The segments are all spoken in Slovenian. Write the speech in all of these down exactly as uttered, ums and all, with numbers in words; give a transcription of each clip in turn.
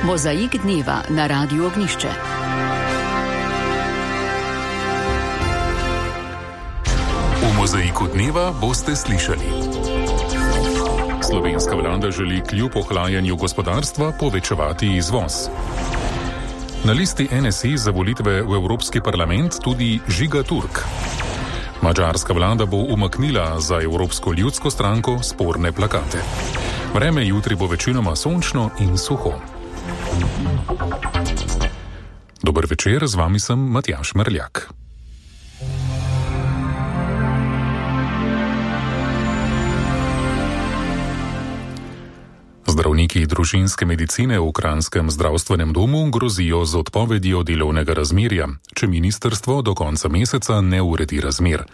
Mozaik dneva na Radiu Ognišče. V Mozaiku dneva boste slišali. Slovenska vlada želi kljub ohlajanju gospodarstva povečevati izvoz. Na listi N S I za volitve v Evropski parlament tudi Žiga Turk. Madžarska vlada bo umaknila za Evropsko ljudsko stranko sporne plakate. Vreme jutri bo večinoma sončno in suho. Dober večer, z vami sem Matjaž Merljak. Zdravniki družinske medicine v Kranjskem zdravstvenem domu grozijo z odpovedjo delovnega razmerja, če ministrstvo do konca meseca ne uredi razmer.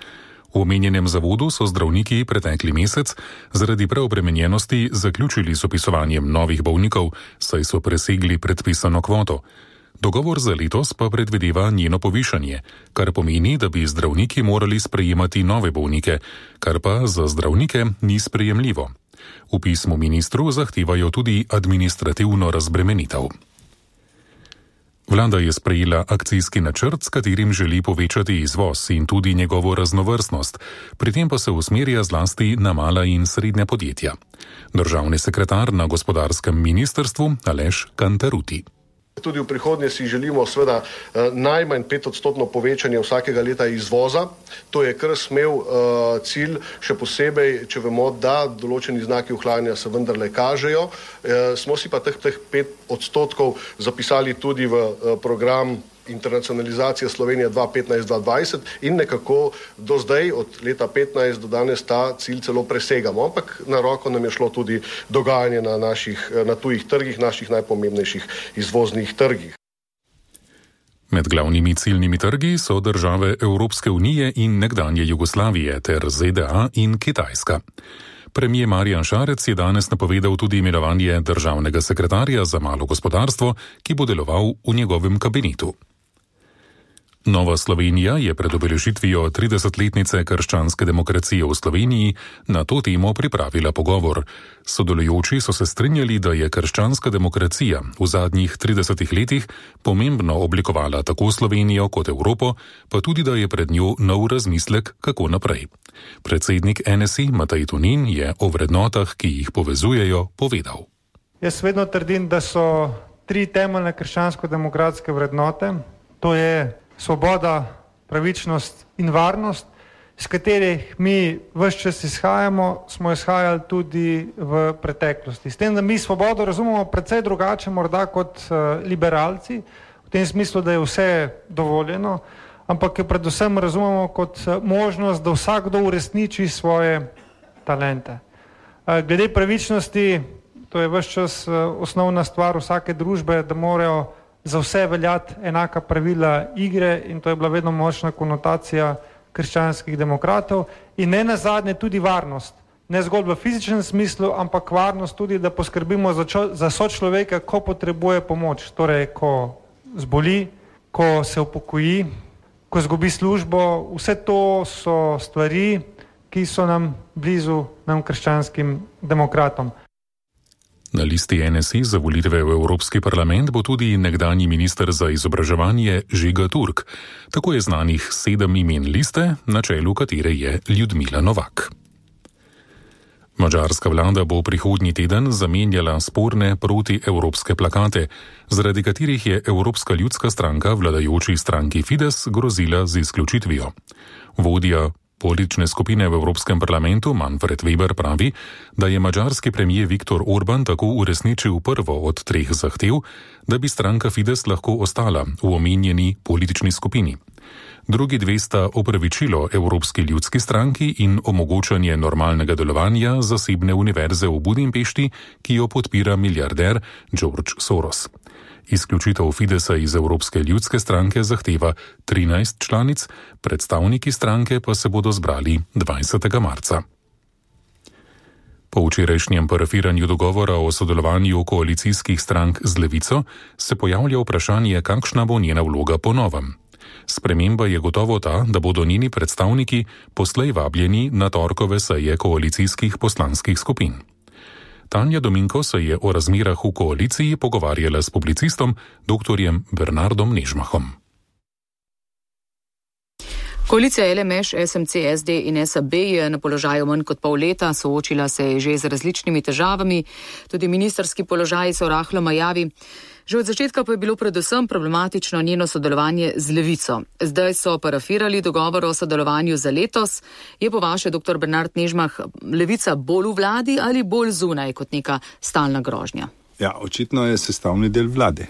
V omenjenem zavodu so zdravniki pretekli mesec zaradi preobremenjenosti zaključili z opisovanjem novih bolnikov, saj so presegli predpisano kvoto. Dogovor za letos pa predvideva njeno povišanje, kar pomeni, da bi zdravniki morali sprejemati nove bolnike, kar pa za zdravnike ni sprejemljivo. V pismu ministru zahtevajo tudi administrativno razbremenitev. Vlada je sprejela akcijski načrt, s katerim želi povečati izvoz in tudi njegovo raznovrstnost, pri tem pa se usmerja zlasti na mala in srednja podjetja. Državni sekretar na gospodarskem ministrstvu Aleš Kantaruti. Tudi v prihodnje si želimo seveda najmanj petodstotno povečanje vsakega leta izvoza. To je kar smel uh, cilj, še posebej, če vemo, da določeni znaki ohlajanja se vendarle kažejo. Uh, smo si pa teh, teh pet odstotkov zapisali tudi v uh, program internacionalizacije Slovenije dva petnajst dva dvajset in nekako do zdaj, od leta petnajst do danes, ta cilj celo presegamo. Ampak na roko nam je šlo tudi dogajanje na naših, na tujih trgih, naših najpomembnejših izvoznih trgih. Med glavnimi ciljnimi trgi so države Evropske unije in nekdanje Jugoslavije ter Z D A in Kitajska. Premier Marjan Šarec je danes napovedal tudi imenovanje državnega sekretarja za malo gospodarstvo, ki bo deloval v njegovem kabinetu. Nova Slovenija je pred obeležitvijo tridesetletnice krščanske demokracije v Sloveniji na to temo pripravila pogovor. Sodelujoči so se strinjali, da je krščanska demokracija v zadnjih tridesetih letih pomembno oblikovala tako Slovenijo kot Evropo, pa tudi, da je pred njo nov razmislek, kako naprej. Predsednik N S I Matej Tonin je o vrednotah, ki jih povezujejo, povedal. Jaz vedno trdim, da so tri temeljne krščansko-demokratske vrednote, to je svoboda, pravičnost in varnost, s katerih mi ves čas izhajamo, smo izhajali tudi v preteklosti. S tem, da mi svobodo razumemo precej drugače morda kot uh, liberalci, v tem smislu, da je vse dovoljeno, ampak jo predvsem razumemo kot uh, možnost, da vsakdo uresniči svoje talente. Uh, glede pravičnosti, to je ves čas uh, osnovna stvar vsake družbe, da morajo za vse veljati enaka pravila igre in to je bila vedno močna konotacija krščanskih demokratov in ne nazadnje tudi varnost. Ne zgolj v fizičnem smislu, ampak varnost tudi, da poskrbimo za, čo, za sočloveka, ko potrebuje pomoč. Torej, ko zboli, ko se upokoji, ko zgubi službo, vse to so stvari, ki so nam blizu, nam krščanskim demokratom. Na listi N S I za volitve v Evropski parlament bo tudi nekdanji minister za izobraževanje Žiga Turk. Tako je znanih sedem imen liste, na čelu katere je Ljudmila Novak. Madžarska vlada bo prihodnji teden zamenjala sporne protievropske plakate, zaradi katerih je Evropska ljudska stranka vladajoči stranki Fides grozila z izključitvijo. Vodja politične skupine v Evropskem parlamentu Manfred Weber pravi, da je madžarski premier Viktor Orban tako uresničil prvo od treh zahtev, da bi stranka Fides lahko ostala v omenjeni politični skupini. Drugi dve sta opravičilo Evropski ljudski stranki in omogočanje normalnega delovanja zasebne univerze v Budimpešti, ki jo podpira milijarder George Soros. Izključitev Fidesa iz Evropske ljudske stranke zahteva trinajst članic, predstavniki stranke pa se bodo zbrali dvajsetega marca. Po včerajšnjem parafiranju dogovora o sodelovanju koalicijskih strank z Levico se pojavlja vprašanje, kakšna bo njena vloga po novem. Sprememba je gotovo ta, da bodo njeni predstavniki poslej vabljeni na torkove seje koalicijskih poslanskih skupin. Tanja Dominko se je o razmerah v koaliciji pogovarjala s publicistom doktorjem Bernardom Nežmahom. Koalicija L M Š, S M C, S D in S A B je na položaju manj kot pol leta, soočila se je že z različnimi težavami, tudi ministrski položaji so rahlo majavi. Že od začetka pa je bilo predvsem problematično njeno sodelovanje z Levico. Zdaj so parafirali dogovor o sodelovanju za letos. Je po vaše, doktor Bernard Nežmah, Levica bolj v vladi ali bolj zunaj kot neka stalna grožnja? Ja, očitno je sestavni del vlade.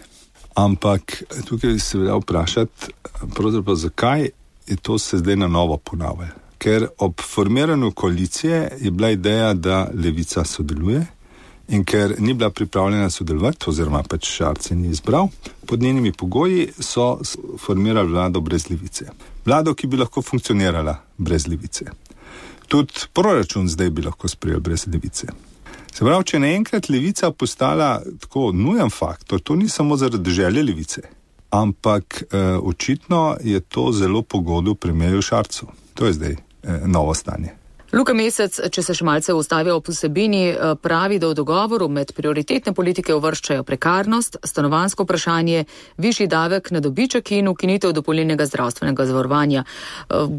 Ampak tukaj se velja vprašati, pravzaprav zakaj je to se zdaj na novo ponavlja. Ker ob formiranju koalicije je bila ideja, da Levica sodeluje, in ker ni bila pripravljena sodelovati, oziroma pač Šarec ni izbral, pod njenimi pogoji so formirali vlado brez Levice. Vlado, ki bi lahko funkcionirala brez Levice. Tudi proračun zdaj bi lahko sprejel brez Levice. Se pravi, če naenkrat Levica postala tako nujen faktor, to ni samo zaradi želje Levice, ampak eh, očitno je to zelo pogodu premierju Šarcu. To je zdaj eh, novo stanje. Luka Mesec, če se še malce ustavlja ob vsebini, pravi, da v dogovoru med prioritetne politike uvrščajo prekarnost, stanovanjsko vprašanje, višji davek na dobiček in ukinitev dopolnilnega zdravstvenega zavarovanja.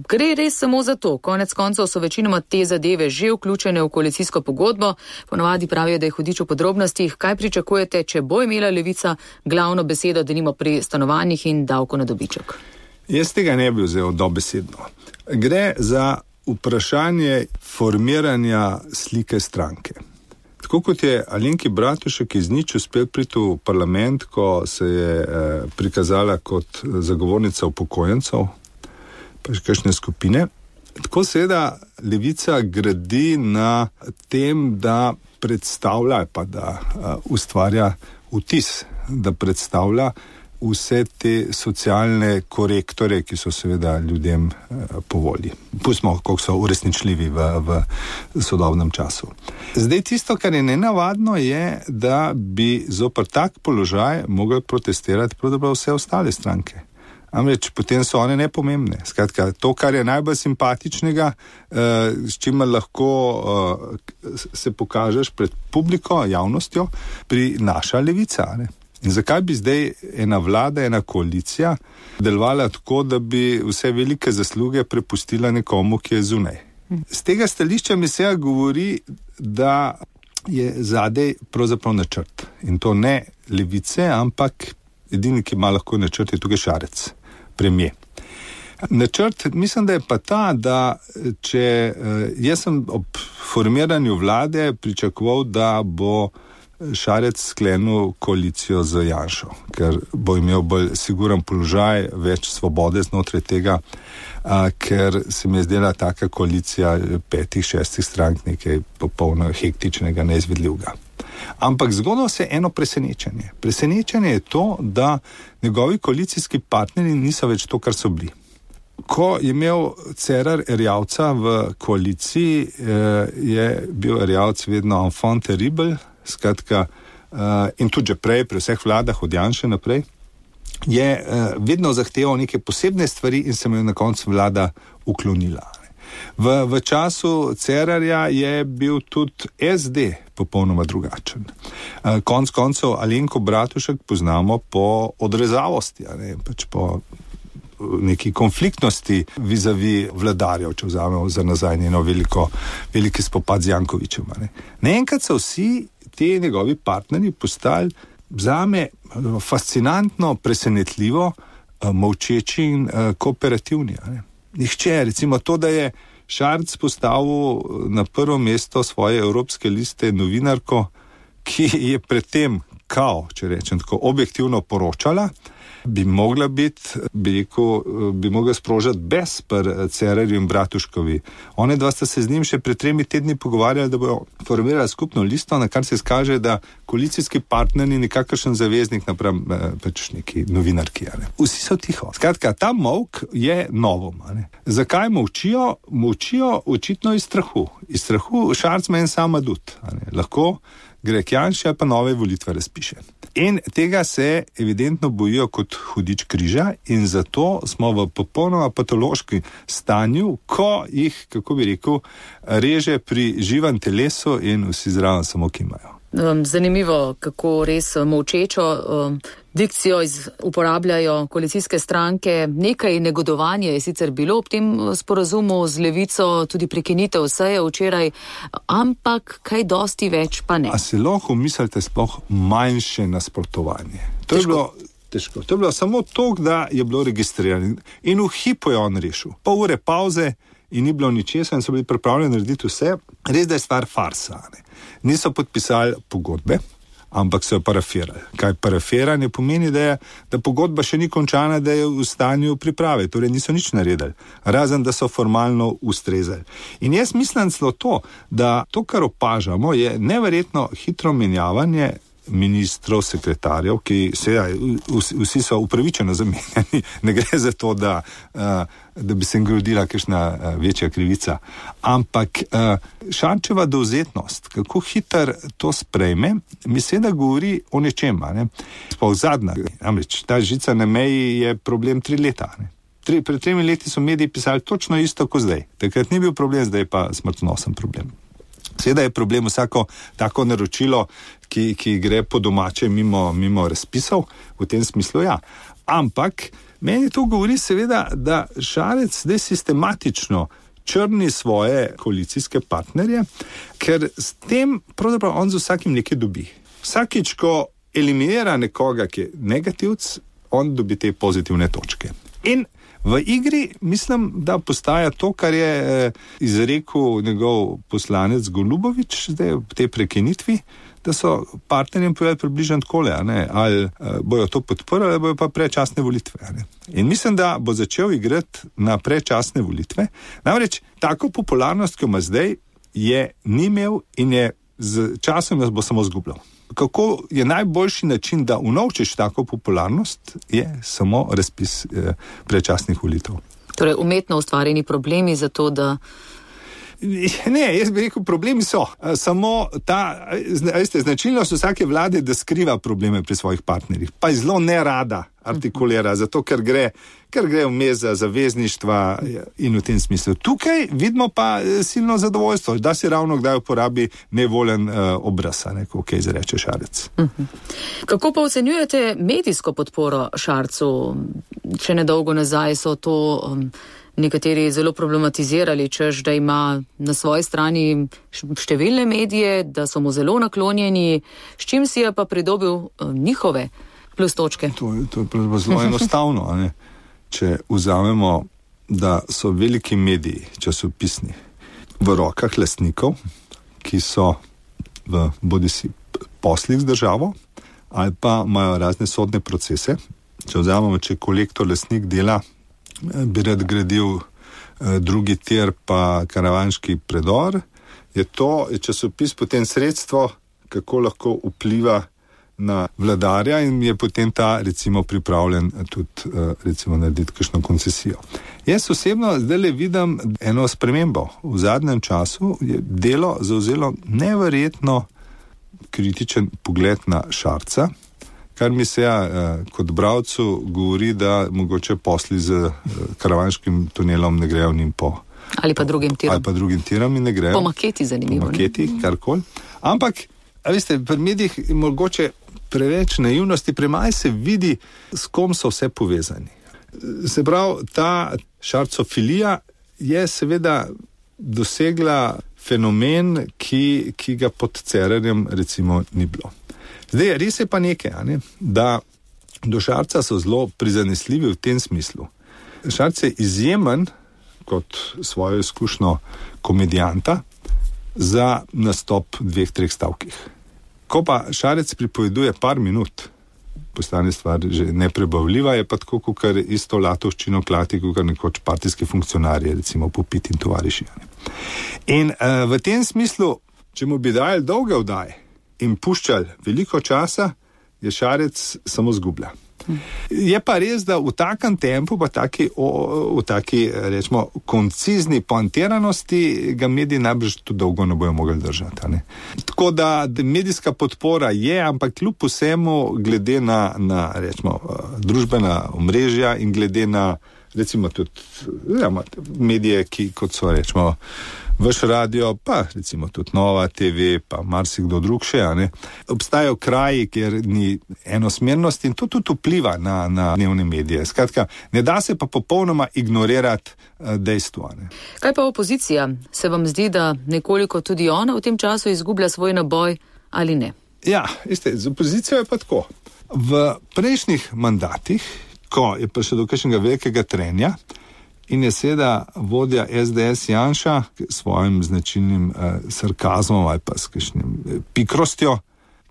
Gre res samo za to. Konec koncev so večinoma te zadeve že vključene v koalicijsko pogodbo. Ponovadi pravijo, da je hudič v podrobnostih. Kaj pričakujete, če bo imela Levica glavno besedo, denimo pri stanovanjih in davku na dobiček? Jaz tega ne bi vzel dobesedno. Gre za vprašanje formiranja slike stranke. Tako kot je Alenki Bratušek iz nič uspel priti v parlament, ko se je eh, prikazala kot zagovornica upokojencev, pa še kakšne skupine, tako seveda Levica gradi na tem, da predstavlja, pa da uh, ustvarja vtis, da predstavlja vse te socialne korektore, ki so seveda ljudem eh, po volji. Pustimo, koliko so uresničljivi v, v sodobnem času. Zdaj tisto, kar je nenavadno, je, da bi zoper tak položaj mogli protestirati pravzaprav vse ostale stranke. Amreč potem so one nepomembne. Skratka, to, kar je najbolj simpatičnega, eh, s čimer lahko eh, se pokažeš pred publiko, javnostjo, prinaša Levica, ne? In zakaj bi zdaj ena vlada, ena koalicija delovala tako, da bi vse velike zasluge prepustila nekomu, ki je zunaj? Z tega stališča mi se govori, da je zadej pravzaprav načrt. In to ne Levice, ampak edini, ki ima lahko načrt, je tukaj Šarec, premier. Načrt, mislim, da je pa ta, da če jaz sem ob formiranju vlade pričakoval, da bo Šarec sklenil koalicijo z Janšo, ker bo imel bolj siguren položaj, več svobode znotraj tega, a, ker se mi je zdela taka koalicija petih, šestih strank nekaj popolno hektičnega, neizvedljivega. Ampak zgodilo se eno presenečenje. Presenečenje je to, da njegovi koalicijski partnerji niso več to, kar so bili. Ko je imel Cerar Erjavca v koaliciji, je bil Erjavc vedno enfant terrible, skratka, uh, in tudi že prej, pri vseh vladah od Janše naprej, je uh, vedno zahteval neke posebne stvari in se mu je na koncu vlada uklonila. V, v času Cerarja je bil tudi S D popolnoma drugačen. Uh, konc koncev Alenko Bratušek poznamo po odrezavosti, ne, pač po neki konfliktnosti vizavi vladarjev, če vzamemo za nazaj njeno veliko, veliki spopad z Jankovićem. Ne. Naenkrat so vsi ti njegovi partnerji postali zame fascinantno, presenetljivo, molčeči in kooperativni. Ne. Nihče, recimo to, da je Šarec postavil na prvo mesto svoje evropske liste novinarko, ki je predtem kao, če rečem tako, objektivno poročala, bi mogla biti, bi rekel, bi mogla sprožati bes pri Cerarju in Bratuškovi. One dva sta se z njim še pred tremi tedni pogovarjali, da bojo formirali skupno listo, na kar se skaže, da koalicijski partner ni nikakršen zaveznik napram pač neki novinarki. Ne. Vsi so tiho. Skratka, ta molk je novom. Ne. Zakaj molčijo? Molčijo očitno iz strahu. Iz strahu Šarec ima en sam adut. Lahko gre k Janši ali pa nove volitve razpiše. In tega se evidentno bojijo kot hudič križa in zato smo v popolnoma patološkem stanju, ko jih, kako bi rekel, reže pri živem telesu in vsi zraven samo kimajo. Zanimivo, kako res molčečo um, dikcijo iz, uporabljajo koalicijske stranke. Nekaj negodovanja je sicer bilo ob tem sporazumu z Levico, tudi prekinitev seje včeraj, ampak kaj dosti več pa ne. A se lahko mislite sploh manjše nasprotovanje? To je bilo težko. To je bilo samo to, da je bilo registrirano in v hipu je on rešil. Pol ure pauze in ni bilo ničesar in so bili pripravljeni narediti vse. Res, da je stvar farsa, ne? Niso podpisali pogodbe, ampak so jo parafirali. Kaj parafiranje pomeni, da, je, da pogodba še ni končana, da je v stanju priprave, torej niso nič naredili, razen da so formalno ustrezali. In jaz mislim celo to, da to, kar opažamo, je neverjetno hitro menjavanje ministrov, sekretarjev, ki seveda vsi so upravičeno zamenjani, ne gre za to, da, da bi se jim grodila kakšna večja krivica. Ampak Šarčeva dovzetnost, kako hiter to sprejme, mi seveda govori o nečem, ne? Sploh zadnja, namreč ta žica na meji je problem tri leta, ne? Tri, pred tremi leti so mediji pisali točno isto kot zdaj. Takrat ni bil problem, zdaj pa smrtonosen problem. Seveda je problem vsako tako naročilo, ki, ki gre po domače mimo, mimo razpisov, v tem smislu ja. Ampak meni to govori seveda, da Šarec zdaj sistematično črni svoje koalicijske partnerje, ker s tem pravzaprav on z vsakim nekaj dobi. Vsakič, ko eliminira nekoga, ki je negativc, on dobi te pozitivne točke. In v igri mislim, da postaja to, kar je izrekel njegov poslanec Golubovič zdaj v tej prekinitvi, da so partnerjem povedali približno takole, ali bojo to podprli, ali bojo pa predčasne volitve. Ne? In mislim, da bo začel igrati na predčasne volitve. Namreč tako popularnost, ki jo ima zdaj, je ni imel in je z časom bo samo zgubljal. Kako je najboljši način, da unovčiš tako popularnost, je samo razpis eh, predčasnih volitev. Torej, umetno ustvarjeni problemi za to, da... Ne, jaz bi rekel, problemi so. Samo ta, veste, značilnost vsake vlade, da skriva probleme pri svojih partnerjih. Pa je zelo nerada artikulira, zato ker gre, ker gre vmes za zavezništva in v tem smislu. Tukaj vidimo pa silno zadovoljstvo, da si ravno kdaj uporabi nevoljen uh, obraz, neko kaj izreče Šarec. Uh-huh. Kako pa ocenjujete medijsko podporo Šarcu? Če nedolgo nazaj so to... Um, nekateri zelo problematizirali, češ, da ima na svoji strani številne medije, da so mu zelo naklonjeni, s čim si je pa pridobil njihove plus točke. To, to je zelo enostavno. Ne? Če vzamemo, da so veliki mediji, časopisni, v rokah lastnikov, ki so v bodisi poslih z državo, ali pa imajo razne sodne procese. Če vzamemo, če kolektor lastnik dela, bi rad gradil eh, drugi tir pa karavanški predor, je to je časopis potem sredstvo, kako lahko vpliva na vladarja in je potem ta recimo pripravljen tudi eh, recimo narediti kakšno koncesijo. Jaz osebno zdaj le vidim eno spremembo. V zadnjem času je delo zavzelo neverjetno kritičen pogled na Šarca, kar mi se ja, kot bralcu govori, da mogoče posli z karavanškim tunelom ne grejo njim po... Ali pa drugim tirom. Ali pa drugim tirom in ne grejo. Po maketi zanimivo. Po maketi, karkoli. Ampak, a veste, pri medijih je mogoče preveč naivnosti, premaj se vidi, s kom so vse povezani. Se pravi, ta šarcofilija je seveda dosegla fenomen, ki, ki ga pod Cerarjem recimo ni bilo. Zdaj, res je pa nekaj, ne? Da do Šarca so zelo prizanesljivi v tem smislu. Šarc je izjemen kot svojo izkušnjo komedijanta za nastop dveh, treh stavkih. Ko pa Šarec pripoveduje par minut, postane stvar že neprebavljiva, je pa tako, kot isto latovščino klati, kot nekoč partijski funkcionarji, recimo Popit in tovariši. In uh, v tem smislu, če mu bi dajali dolge vdaje in puščali veliko časa, je Šarec samo zgublja. Je pa res, da v takem tempu, pa taki, o, v taki, rečemo, koncizni poantiranosti ga mediji najbrž tudi dolgo ne bojo mogli držati. Ne? Tako da medijska podpora je, ampak kljub vsemu glede na, na rečemo, družbena omrežja in glede na, recimo tudi ja, medije, ki kot so, rečemo, Vaš radio, pa recimo tudi Nova te ve, pa marsikdo drug še, a ne. Obstajajo kraji, kjer ni enosmernosti in to tudi vpliva na, na dnevne medije. Skratka, ne da se pa popolnoma ignorirati dejstva. Ne. Kaj pa opozicija? Se vam zdi, da nekoliko tudi ona v tem času izgublja svoj naboj ali ne? Ja, veste, z opozicijo je pa tako. V prejšnjih mandatih, ko je prišlo do kakšnega velikega trenja, in je seveda vodja es de es Janša s svojim značilnim eh, sarkazmom ali pa s kakšnim eh, pikrostjo,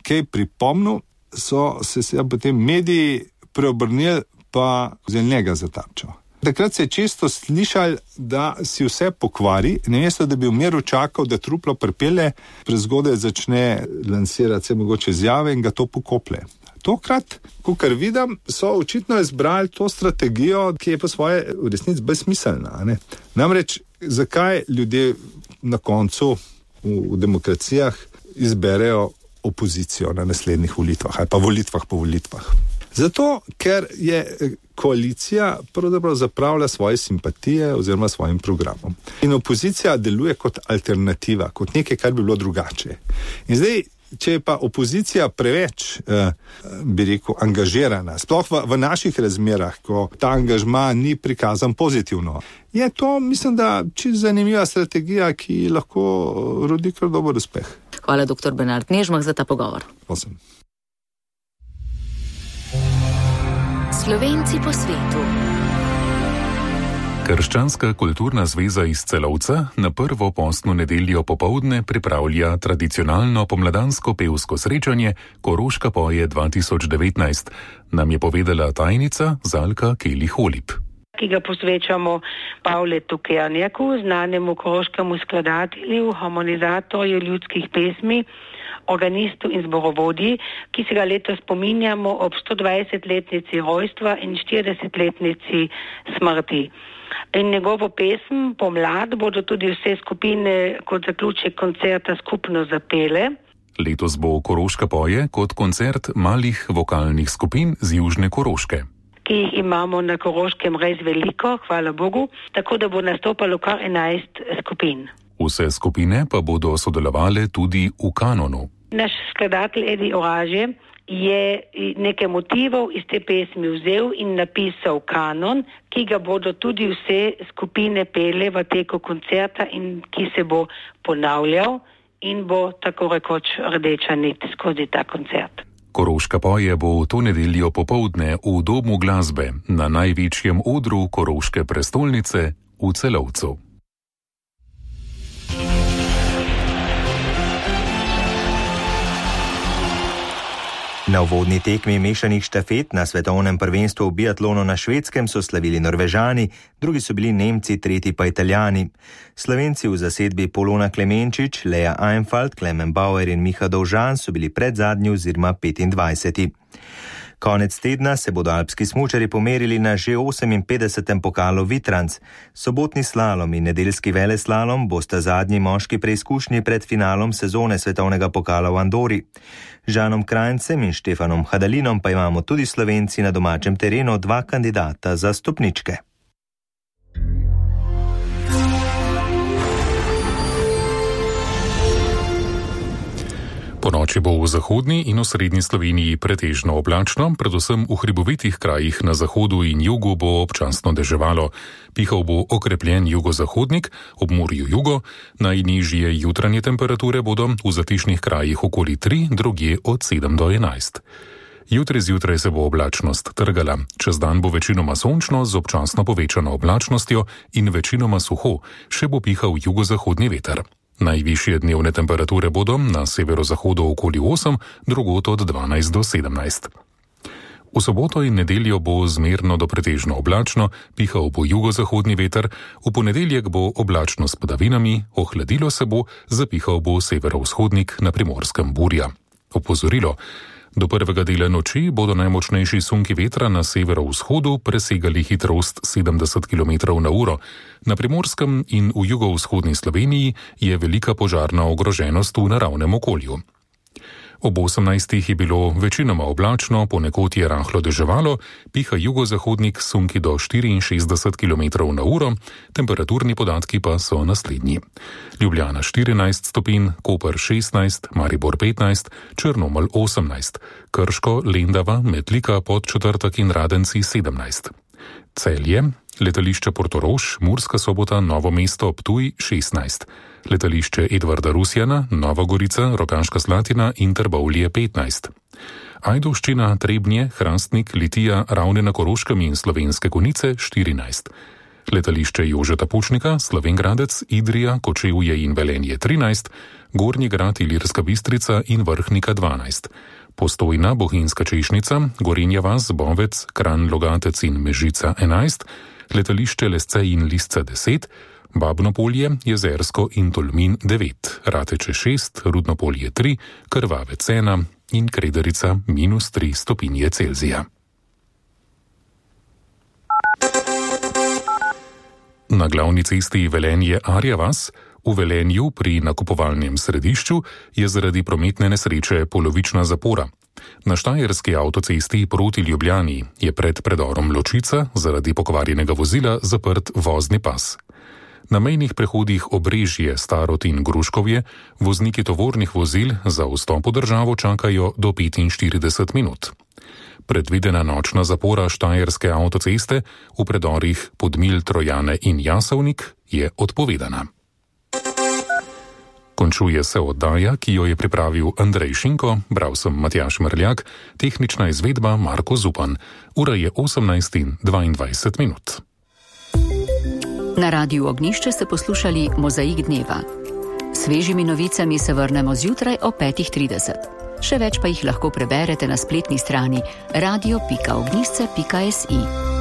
kaj pripomnil, so se seveda potem mediji preobrnili pa vzeli njega za tarčo. Takrat se je često slišali, da si vse pokvari, namesto da bi v miru čakal, da truplo pripelje, prezgodaj začne lansirati se mogoče izjave in ga to pokoplje. Tokrat, kakor vidim, so očitno izbrali to strategijo, ki je po svoje v resnici brezsmiselna. Ne? Namreč, zakaj ljudje na koncu v, v demokracijah izberejo opozicijo na naslednjih volitvah ali pa volitvah po volitvah? Zato, ker je koalicija pravzaprav zapravlja svoje simpatije oziroma svojim programom. In opozicija deluje kot alternativa, kot nekaj, kar bi bilo drugače. In zdaj, če je pa opozicija preveč, eh, bi rekel, angažirana, sploh v, v naših razmerah, ko ta angažma ni prikazan pozitivno, je to, mislim, da čisto zanimiva strategija, ki lahko rodi kar dober uspeh. Hvala, doktor Bernard Nežmah, za ta pogovor. Prosim. Slovenci po svetu. Krščanska kulturna zveza iz Celovca na prvo postno nedeljo popoldne pripravlja tradicionalno pomladansko pevsko srečanje Koroška poje dva tisoč devetnajst, nam je povedala tajnica Zalka Keli-Holip. Ki ga posvečamo Pavletu Kernjaku, znanemu koroškemu skladatelju, harmonizatorju ljudskih pesmi, organistu in zborovodji, ki se ga letos spominjamo ob stodvajsetletnici rojstva in štiridesetletnici smrti. In njegovo pesem Pomlad bodo tudi vse skupine kot zaključek koncerta skupno zapele. Letos bo Koroška poje kot koncert malih vokalnih skupin z južne Koroške, ki jih imamo na Koroškem res veliko, hvala Bogu, tako da bo nastopalo kar enajst skupin. Vse skupine pa bodo sodelovale tudi v kanonu. Naš skladatelj Edi Oraže je nekaj motivov iz te pesmi vzel in napisal kanon, ki ga bodo tudi vse skupine pele v teku koncerta in ki se bo ponavljal in bo tako rekoč rdeča nit skozi ta koncert. Koroška poje bo to nedeljo popoldne v Domu glasbe na največjem odru Koroške prestolnice v Celovcu. Na uvodni tekmi mešanih štafet na svetovnem prvenstvu v biatlonu na Švedskem so slavili Norvežani, drugi so bili Nemci, tretji pa Italijani. Slovenci v zasedbi Polona Klemenčič, Leja Einfalt, Klemen Bauer in Miha Dovžan so bili predzadnji oziroma petindvajseti. Konec tedna se bodo alpski smučarji pomerili na že oseminpetdesetem pokalu Vitranc. Sobotni slalom in nedeljski veleslalom bosta zadnji moški preizkušnji pred finalom sezone svetovnega pokala v Andori. Žanom Krajncem in Štefanom Hadalinom pa imamo tudi Slovenci na domačem terenu dva kandidata za stopničke. Ponoči bo v zahodni in osrednji Sloveniji pretežno oblačno, predvsem v hribovitih krajih na zahodu in jugu bo občasno deževalo. Pihal bo okrepljen jugozahodnik, ob morju jugo, najnižje jutranje temperature bodo v zatišnih krajih okoli tri, drugje od sedem do enajst. Jutri zjutraj se bo oblačnost trgala. Čez dan bo večinoma sončno z občasno povečano oblačnostjo in večinoma suho, še bo pihal jugozahodni veter. Najvišje dnevne temperature bodo na severozahodu okoli osem, drugod od dvanajst do sedemnajst. V soboto in nedeljo bo zmerno do pretežno oblačno, pihal bo jugozahodni veter, v ponedeljek bo oblačno s padavinami, ohladilo se bo, zapihal bo severovzhodnik, na Primorskem burja. Opozorilo. Do prvega dela noči bodo najmočnejši sunki vetra na severovzhodu presegali hitrost sedemdeset kilometrov na uro. Na Primorskem in v jugovzhodni Sloveniji je velika požarna ogroženost v naravnem okolju. Ob osemnajstih je bilo večinoma oblačno, ponekod je rahlo deževalo, piha jugozahodnik sunki do štiriinšestdeset kilometrov na uro, temperaturni podatki pa so naslednji. Ljubljana štirinajst stopinj, Koper šestnajst, Maribor petnajst, Črnomelj osemnajst, Krško, Lendava, Metlika, Podčetrtek in Radenci sedemnajst. Celje, letališče Portorož, Murska Sobota, Novo mesto, Ptuj šestnajst. Letališče Edvarda Rusjana, Nova Gorica, Rogaška Slatina in Trbovlje petnajst. Ajdovščina, Trebnje, Hrastnik, Litija, Ravne na Koroškem in Slovenske Konjice štirinajst. Letališče Jožeta Pučnika, Slovenj Gradec, Idrija, Kočevje in Velenje trinajst, Gornji Grad, Ilirska Bistrica in Vrhnika dvanajst. Postojna, Bohinjska Češnica, Gorenja vas, Bovec, Kranj, Logatec in Mežica enajst, letališče Lesce in Lisca deset, Babnopolje, Jezersko in Tolmin devet, Rateče šest, Rudnopolje tri, Krvavec ena in Kredarica minus tri stopinje Celzija. Na glavni cesti Velenje-Arja vas v Velenju pri nakupovalnem središču je zaradi prometne nesreče polovična zapora. Na štajerski avtocesti proti Ljubljani je pred predorom Ločica zaradi pokvarjenega vozila zaprt vozni pas. Na mejnih prehodih Obrežje, Starod in Gruškovje vozniki tovornih vozil za vstop v državo čakajo do petinštirideset minut. Predvidena nočna zapora štajerske avtoceste v predorih Podmilj, Trojane in Jasovnik je odpovedana. Končuje se oddaja, ki jo je pripravil Andrej Šinko, bral sem Matjaž Mrljak, tehnična izvedba Marko Zupan. Ura je osemnajst in dvaindvajset minut. Na Radiu Ognjišče ste poslušali Mozaik dneva. Svežimi novicami se vrnemo zjutraj o petih trideset. Še več pa jih lahko preberete na spletni strani radio pika ognjišče pika si.